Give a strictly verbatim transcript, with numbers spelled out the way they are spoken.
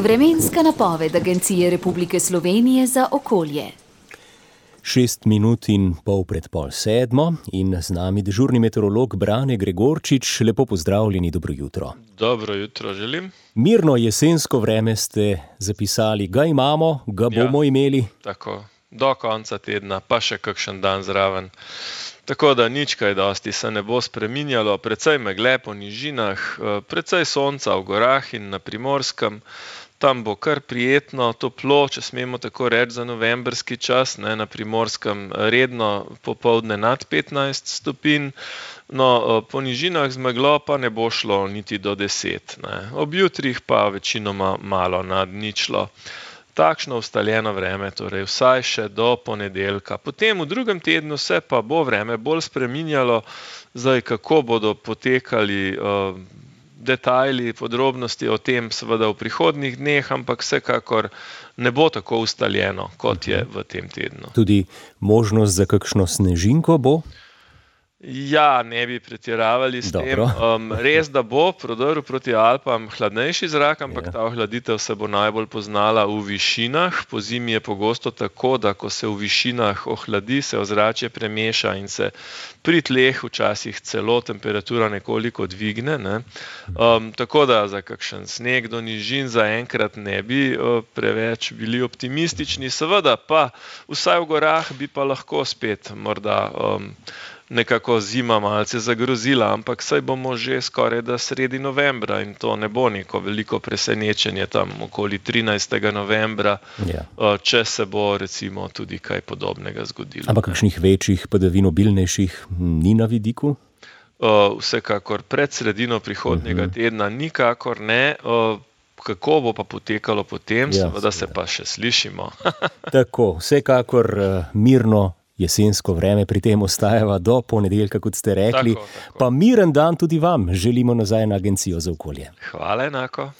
Vremenska napoved Agencije Republike Slovenije za okolje. Šest minut in pol pred pol sedmo in z nami dežurni meteorolog Brane Gregorčič. Lepo pozdravljeni, dobro jutro. Dobro jutro želim. Mirno jesensko vreme ste zapisali, ga imamo, ga bomo Ja. imeli. Tako, do konca tedna, pa še kakšen dan zraven. Tako da nič kaj dosti se ne bo spreminjalo, precej megle po nižinah, precej sonca v gorah in na Primorskem. Tam bo kar prijetno, toplo, če smemo tako reči, za novembrski čas, ne, na Primorskem redno popoldne nad petnajst stopinj, no, po nižinah z meglo pa ne bo šlo niti do deset, ne. Ob jutrih pa večinoma malo nad ničlo. Takšno ustaljeno vreme, torej vsaj še do ponedeljka. Potem v drugem tednu se pa bo vreme bolj spreminjalo, zdaj kako bodo potekali uh, detajli, podrobnosti o tem seveda v prihodnjih dneh, ampak vsekakor ne bo tako ustaljeno, kot je v tem tednu. Tudi možnost za kakšno snežinko bo? Ja, ne bi pretiravali s tem. Um, res, da bo prodrl proti Alpam hladnejši zrak, ampak ja. Ta ohladitev se bo najbolj poznala v višinah. Pozimi je pogosto tako, da ko se v višinah ohladi, se ozračje premeša in se pri tleh včasih celo temperatura nekoliko dvigne, ne. Um, tako da za kakšen sneg do nižin zaenkrat ne bi uh, preveč bili optimistični. Seveda pa vsaj v gorah bi pa lahko spet morda um, nekako zima malce zagrozila, ampak saj bomo že skoraj da sredi novembra in to ne bo neko veliko presenečenje tam okoli trinajstega novembra, ja. če se bo recimo tudi kaj podobnega zgodilo. Ampak kakšnih večjih padavin, obilnejših ni na vidiku? Vsekakor pred sredino prihodnjega uh-huh. tedna nikakor ne. Kako bo pa potekalo potem, ja, seveda se pa še slišimo. Tako, vsekakor mirno jesensko vreme pri tem ostajava do ponedeljka, kot ste rekli. Tako, tako. Pa miren dan tudi vam želimo nazaj na Agencijo za okolje. Hvala enako.